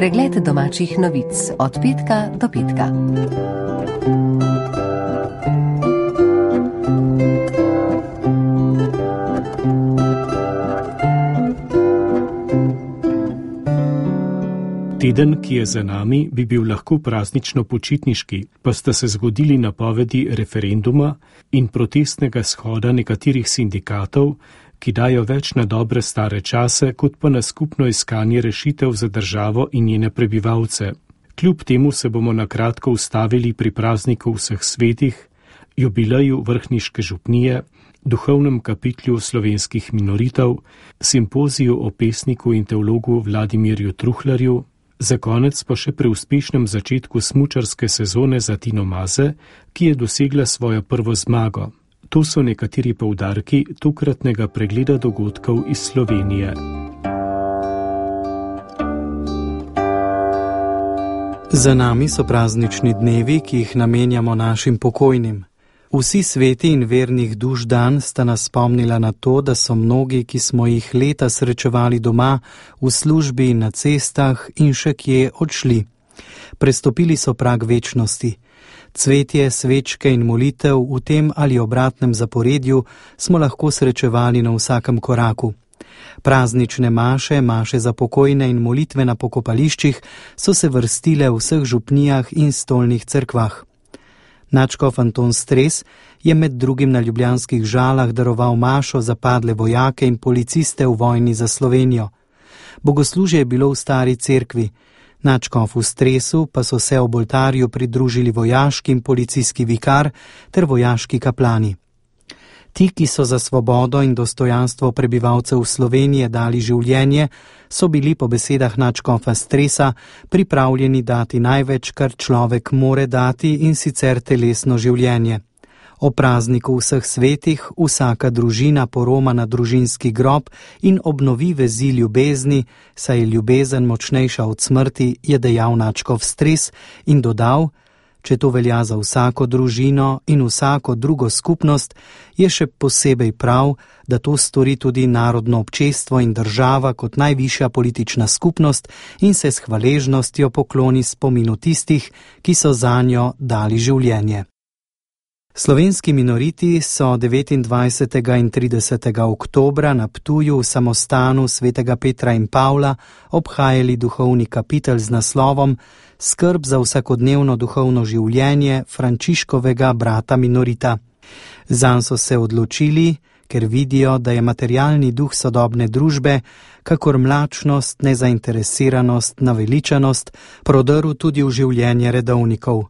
Pregled domačih novic od petka do petka. Teden, ki je za nami, bi bil lahko praznično počitniški, pa sta se zgodili napovedi referenduma in protestnega shoda nekaterih sindikatov, ki dajo več na dobre stare čase, kot pa na skupno iskanje rešitev za državo in njene prebivalce. Kljub temu se bomo na kratko ustavili pri prazniku vseh svetih, jubileju vrhniške župnije, duhovnem kapitlju slovenskih minoritev, simpoziju o pesniku in teologu Vladimirju Truhlarju, za konec pa še pri uspešnem začetku smučarske sezone za Tino Maze, ki je dosegla svojo prvo zmago. To so nekateri poudarki tokratnega pregleda dogodkov iz Slovenije. Za nami so praznični dnevi, ki jih namenjamo našim pokojnim. Vsi sveti in vernih duš dan sta nas spomnila na to, da so mnogi, ki smo jih leta srečevali doma, v službi, na cestah in še kje odšli. Prestopili so prag večnosti. Cvetje, svečke in molitev v tem ali obratnem zaporedju smo lahko srečevali na vsakem koraku. Praznične maše, maše za pokojne in molitve na pokopališčih so se vrstile v vseh župnijah in stolnih cerkvah. Nadškof Anton Stres je med drugim na ljubljanskih Žalah daroval mašo za padle vojake in policiste v vojni za Slovenijo. Bogoslužje je bilo v stari cerkvi. Nadškof v Stresu pa so se ob oltarju pridružili vojaški in policijski vikar ter vojaški kaplani. Ti, ki so za svobodo in dostojanstvo prebivalcev Slovenije dali življenje, so bili po besedah nadškofa Stresa pripravljeni dati največ, kar človek more dati, in sicer telesno življenje. O prazniku vseh svetih vsaka družina poroma na družinski grob in obnovi vezi ljubezni, saj je ljubezen močnejša od smrti, je dejal nadškof Stres in dodal: če to velja za vsako družino in vsako drugo skupnost, je še posebej prav, da to stori tudi narodno občestvo in država kot najvišja politična skupnost in se s hvaležnostjo pokloni spominu tistih, ki so zanjo dali življenje. Slovenski minoriti so 29. in 30. oktobra na Ptuju v samostanu svetega Petra in Pavla obhajali duhovni kapitel z naslovom Skrb za vsakodnevno duhovno življenje Frančiškovega brata minorita. Zanj so se odločili, ker vidijo, da je materialni duh sodobne družbe, kakor mlačnost, nezainteresiranost, naveličanost, prodrl tudi v življenje redovnikov.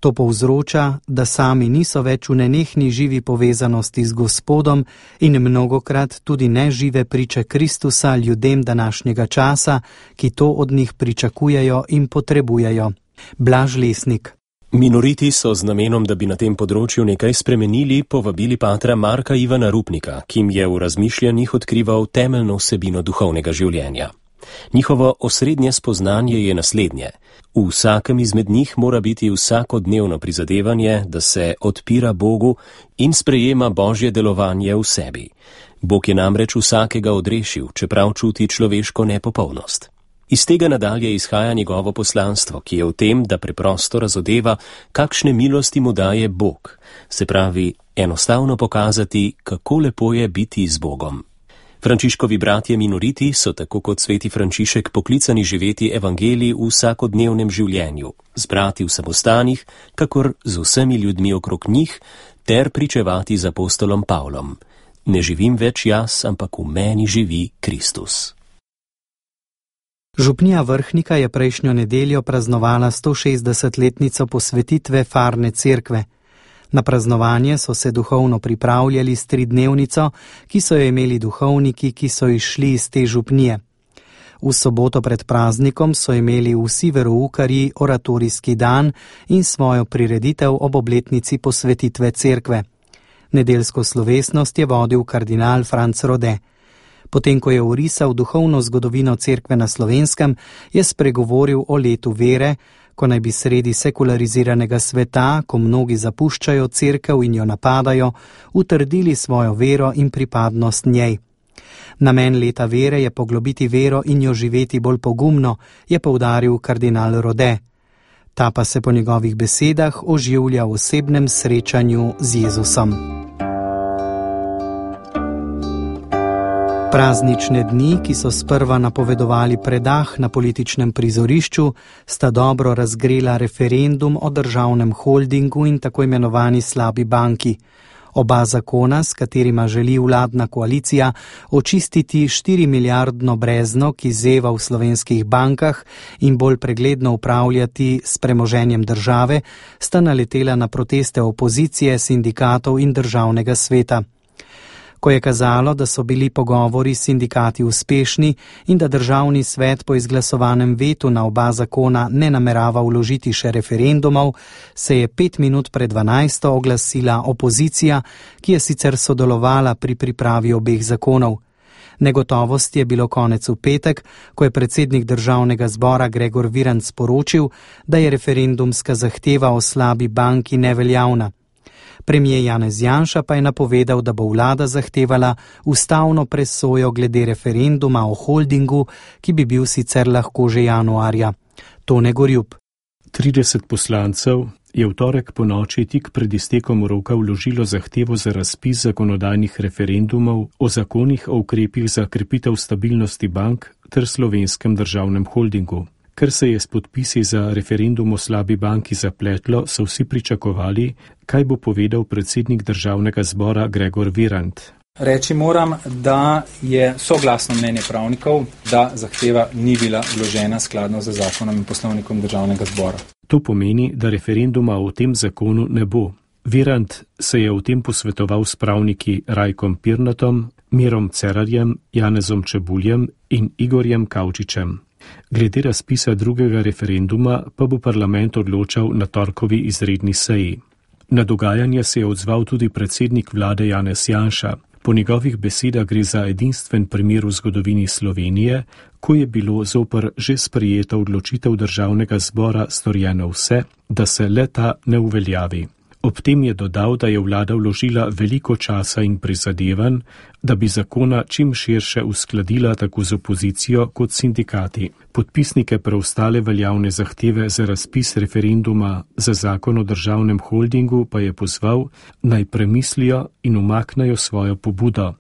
To povzroča, da sami niso več v nenehni živi povezanosti z Gospodom in mnogokrat tudi nežive priče Kristusa ljudem današnjega časa, ki to od njih pričakujejo in potrebujejo. Blaž Lesnik. Minoriti so z namenom, da bi na tem področju nekaj spremenili, povabili patra Marka Ivana Rupnika, ki jim je v razmišljanjih odkrival temeljno vsebino duhovnega življenja. Njihovo osrednje spoznanje je naslednje. V vsakem izmed njih mora biti vsakodnevno prizadevanje, da se odpira Bogu in sprejema Božje delovanje v sebi. Bog je namreč vsakega odrešil, čeprav čuti človeško nepopolnost. Iz tega nadalje izhaja njegovo poslanstvo, ki je v tem, da preprosto razodeva, kakšne milosti mu daje Bog, se pravi, enostavno pokazati, kako lepo je biti z Bogom. Frančiškovi bratje minoriti so tako kot sveti Frančišek poklicani živeti evangelij v vsakodnevnem življenju, z brati v samostanih, kakor z vsemi ljudmi okrog njih, ter pričevati z apostolom Pavlom. Ne živim več jaz, ampak v meni živi Kristus. Župnija Vrhnika je prejšnjo nedeljo praznovala 160-letnico posvetitve Farne cerkve. Na praznovanje so se duhovno pripravljali s 3-dnevnico, ki so jo imeli duhovniki, ki so izšli iz te župnije. V soboto pred praznikom so imeli vsi veroukarji oratorijski dan in svojo prireditev ob obletnici posvetitve cerkve. Nedeljsko slovesnost je vodil kardinal Franc Rode. Potem, ko je orisal duhovno zgodovino cerkve na Slovenskem, je spregovoril o letu vere, ko naj bi sredi sekulariziranega sveta, ko mnogi zapuščajo cerkev in jo napadajo, utrdili svojo vero in pripadnost njej. Namen leta vere je poglobiti vero in jo živeti bolj pogumno, je poudaril kardinal Rode. Ta pa se po njegovih besedah oživlja v osebnem srečanju z Jezusom. Praznične dni, ki so sprva napovedovali predah na političnem prizorišču, sta dobro razgrela referendum o državnem holdingu in tako imenovani slabi banki. Oba zakona, s katerima želi vladna koalicija očistiti 4-milijardno brezno, ki zeva v slovenskih bankah in bolj pregledno upravljati s premoženjem države, sta naletela na proteste opozicije, sindikatov in državnega sveta. Ko je kazalo, da so bili pogovori s sindikati uspešni in da državni svet po izglasovanem vetu na oba zakona ne namerava vložiti še referendumov, se je 5 minut pred 12. oglasila opozicija, ki je sicer sodelovala pri pripravi obeh zakonov. Negotovost je bilo konec v petek, ko je predsednik državnega zbora Gregor Virant sporočil, da je referendumska zahteva o slabi banki neveljavna. Premier Janez Janša pa je napovedal, da bo vlada zahtevala ustavno presojo glede referenduma o holdingu, ki bi bil sicer lahko že januarja. Tone Gorjup. 30 poslancev je v torek po noči tik pred iztekom roka vložilo zahtevo za razpis zakonodajnih referendumov o zakonih o ukrepih za krepitev stabilnosti bank ter slovenskem državnem holdingu. Ker se je s podpisi za referendum o slabi banki zapletlo, so vsi pričakovali, kaj bo povedal predsednik državnega zbora Gregor Virant. Reči moram, da je soglasno mnenje pravnikov, da zahteva ni bila vložena skladno z zakonom in poslovnikom državnega zbora. To pomeni, da referenduma o tem zakonu ne bo. Virant se je o tem posvetoval s pravniki Rajkom Pirnatom, Mirom Cerarjem, Janezom Čebuljem in Igorjem Kavčičem. Glede razpisa drugega referenduma pa bo parlament odločal na torkovi izredni seji. Na dogajanje se je odzval tudi predsednik vlade Janez Janša. Po njegovih besedah gre za edinstven primer v zgodovini Slovenije, ko je bilo zoper že sprejeta odločitev državnega zbora storjeno vse, da se le-ta ne uveljavi. Ob tem je dodal, da je vlada vložila veliko časa in prizadevanj, da bi zakona čim širše uskladila tako z opozicijo kot sindikati. Podpisnike preostale veljavne zahteve za razpis referenduma za zakon o državnem holdingu pa je pozval, naj premislijo in umaknejo svojo pobudo,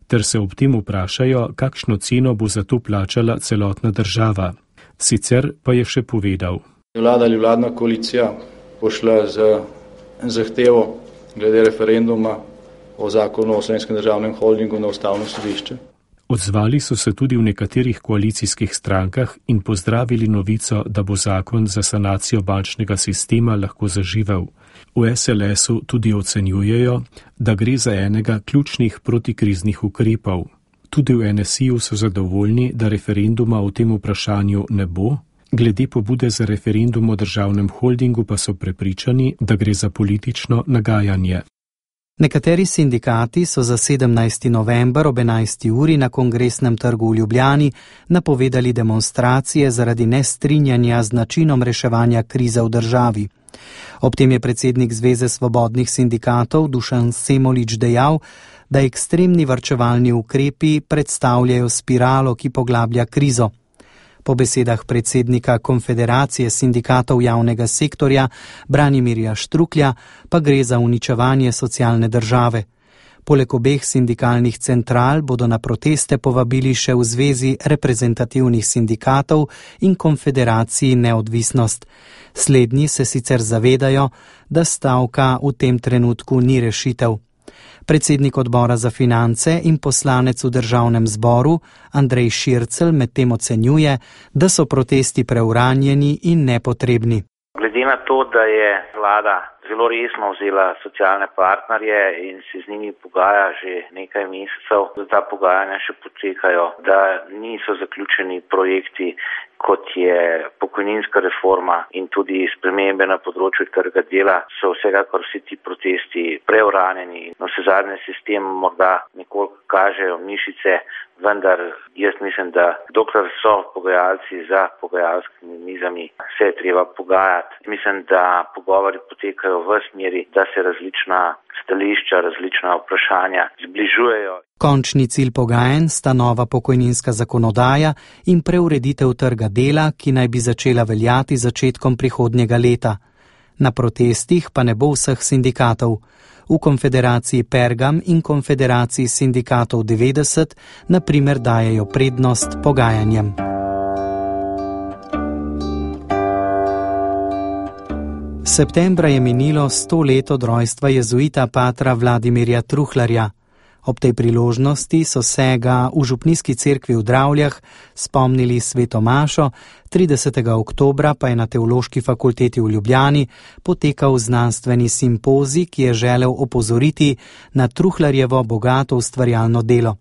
ter se ob tem vprašajo, kakšno ceno bo za to plačala celotna država. Sicer pa je še povedal. Vlada ali vladna koalicija pošla z zahtevo glede referenduma o zakonu o slovenskem državnem holdingu na ustavno sodišče. Odzvali so se tudi v nekaterih koalicijskih strankah in pozdravili novico, da bo zakon za sanacijo bančnega sistema lahko zaživel. V SLS-u tudi ocenjujejo, da gre za enega ključnih protikriznih ukrepov. Tudi v NSI-ju so zadovoljni, da referenduma o tem vprašanju ne bo. Glede pobude za referendum o državnem holdingu pa so prepričani, da gre za politično nagajanje. Nekateri sindikati so za 17. november ob 11. uri na Kongresnem trgu v Ljubljani napovedali demonstracije zaradi nestrinjanja z načinom reševanja krize v državi. Ob tem je predsednik Zveze svobodnih sindikatov Dušan Semolič dejal, da ekstremni varčevalni ukrepi predstavljajo spiralo, ki poglablja krizo. Po besedah predsednika Konfederacije sindikatov javnega sektorja Branimirja Štruklja pa gre za uničevanje socialne države. Poleg obeh sindikalnih central bodo na proteste povabili še v Zvezi reprezentativnih sindikatov in Konfederaciji Neodvisnost. Slednji se sicer zavedajo, da stavka v tem trenutku ni rešitev. Predsednik odbora za finance in poslanec v državnem zboru Andrej Šircelj medtem ocenjuje, da so protesti preuranjeni in nepotrebni. Glede na to, da je vlada zelo resno vzela socialne partnerje in se z njimi pogaja že nekaj mesecev, da ta pogajanja še potekajo, da niso zaključeni projekti, kot je pokojninska reforma in tudi spremembe na področju trga dela, so vsekakor vsi ti protesti preuranjeni. No, vsezadnje sistem morda nekoliko kažejo mišice, vendar jaz mislim, da dokler so pogajalci za pogajalskimi mizami, se je treba pogajati. Mislim, da pogovori potekajo v smeri, da se različna stališča, različna vprašanja zbližujejo. Končni cilj pogajanj sta nova pokojninska zakonodaja in preureditev trga dela, ki naj bi začela veljati začetkom prihodnjega leta. Na protestih pa ne bo vseh sindikatov. V Konfederaciji Pergam in Konfederaciji sindikatov 90 na primer dajejo prednost pogajanjem. Septembra je minilo 100 let od rojstva jezuita patra Vladimirja Truhlarja. Ob tej priložnosti so se ga v župnijski cerkvi v Dravljah spomnili sveto mašo, 30. oktobra pa je na Teološki fakulteti v Ljubljani potekal znanstveni simpozij, ki je želel opozoriti na Truhlarjevo bogato ustvarjalno delo.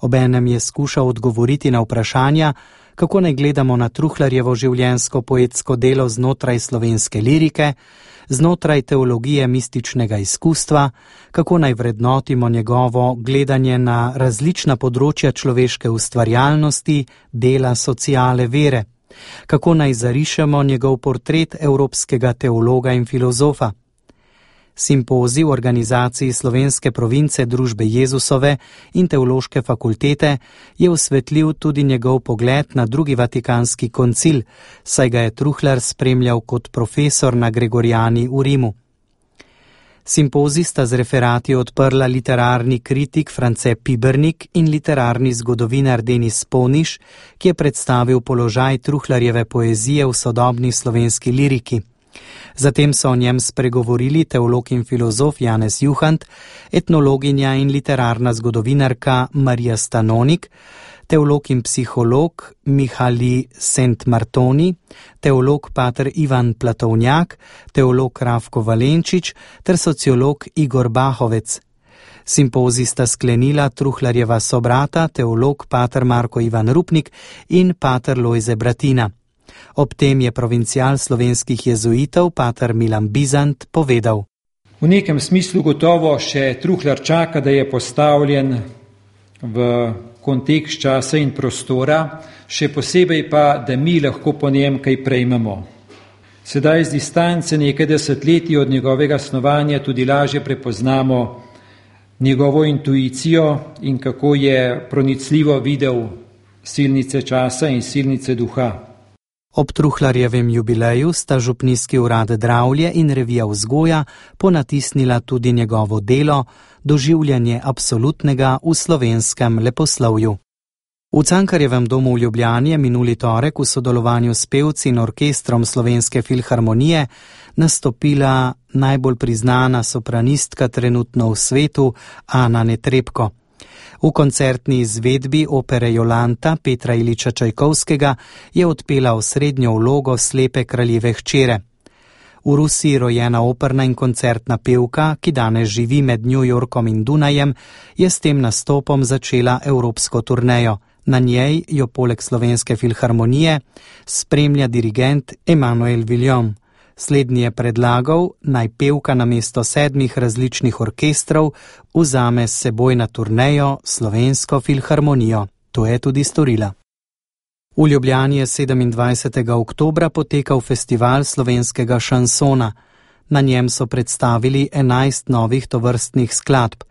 Obenem je skušal odgovoriti na vprašanja, kako naj gledamo na Truhlarjevo življenjsko-poetsko delo znotraj slovenske lirike, znotraj teologije mističnega izkustva, kako naj vrednotimo njegovo gledanje na različna področja človeške ustvarjalnosti, dela, sociale, vere, kako naj zarišemo njegov portret evropskega teologa in filozofa. Simpozij v organizaciji slovenske province Družbe Jezusove in Teološke fakultete je osvetlil tudi njegov pogled na drugi vatikanski koncil, saj ga je Truhlar spremljal kot profesor na Gregorijani v Rimu. Simpozij sta z referati odprla literarni kritik France Pibernik in literarni zgodovinar Denis Poniš, ki je predstavil položaj Truhlarjeve poezije v sodobni slovenski liriki. Zatem so o njem spregovorili teolog in filozof Janez Juhant, etnologinja in literarna zgodovinarka Marija Stanonik, teolog in psiholog Mihali Sent-Martoni, teolog pater Ivan Platovnjak, teolog Rafko Valenčič ter sociolog Igor Bahovec. Simpozij sta sklenila Truhlarjeva sobrata, teolog pater Marko Ivan Rupnik in pater Lojze Bratina. Ob tem je provincial slovenskih jezuitov, pater Milan Bizant, povedal: V nekem smislu gotovo še Truhlar čaka, da je postavljen v kontekst časa in prostora, še posebej pa, da mi lahko po njem kaj prejmemo. Sedaj z distance nekaj desetletij od njegovega snovanja tudi lažje prepoznamo njegovo intuicijo in kako je pronicljivo videl silnice časa in silnice duha. Ob Truhlarjevem jubileju sta župnijski urad Dravlje in revija Vzgoja ponatisnila tudi njegovo delo Doživljanje absolutnega v slovenskem leposlovju. V Cankarjevem domu v Ljubljani je minuli torek v sodelovanju s pevci in orkestrom Slovenske filharmonije nastopila najbolj priznana sopranistka trenutno v svetu Ana Netrebko. V koncertni izvedbi opere Jolanta Petra Iliča Čajkovskega je odpela osrednjo vlogo slepe kraljeve hčere. V Rusiji rojena operna in koncertna pevka, ki danes živi med New Yorkom in Dunajem, je s tem nastopom začela evropsko turnejo. Na njej jo poleg Slovenske filharmonije spremlja dirigent Emanuel Villon. Slednji je predlagal, naj pevka namesto 7 različnih orkestrov vzame s seboj na turnejo Slovensko filharmonijo. To je tudi storila. V Ljubljani je 27. oktobra potekal festival slovenskega šansona. Na njem so predstavili 11 novih tovrstnih skladb.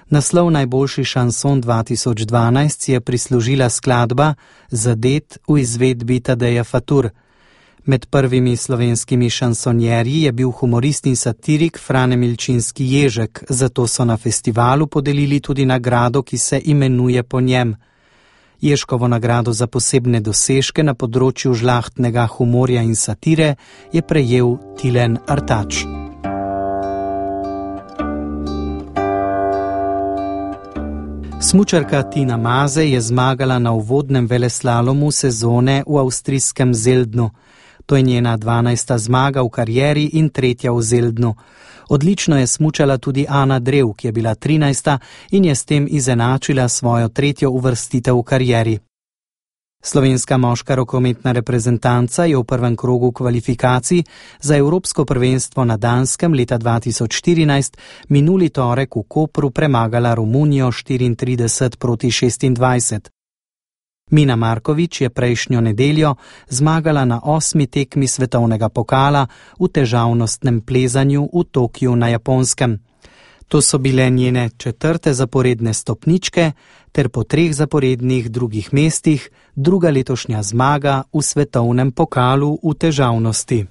Naslov Najboljši šanson 2012 je prislužila skladba Zadet v izvedbi Tadeja Fatur. Med prvimi slovenskimi šansonjerji je bil humorist in satirik Frane Milčinski Ježek, zato so na festivalu podelili tudi nagrado, ki se imenuje po njem. Ježkovo nagrado za posebne dosežke na področju žlahtnega humorja in satire je prejel Tilen Artač. Smučarka Tina Maze je zmagala na uvodnem veleslalomu sezone v avstrijskem Zeldnu. To je njena 12. zmaga v karieri in 3. v Zeldnu. Odlično je smučala tudi Ana Drev, ki je bila 13. in je s tem izenačila svojo 3. uvrstitev v karieri. Slovenska moška rokometna reprezentanca je v prvem krogu kvalifikacij za Evropsko prvenstvo na Danskem leta 2014 minuli torek v Kopru premagala Romunijo 34-26. Mina Markovič je prejšnjo nedeljo zmagala na 8. tekmi svetovnega pokala v težavnostnem plezanju v Tokiu na Japonskem. To so bile njene 4. zaporedne stopničke ter po 3 zaporednih drugih mestih 2. letošnja zmaga v svetovnem pokalu v težavnosti.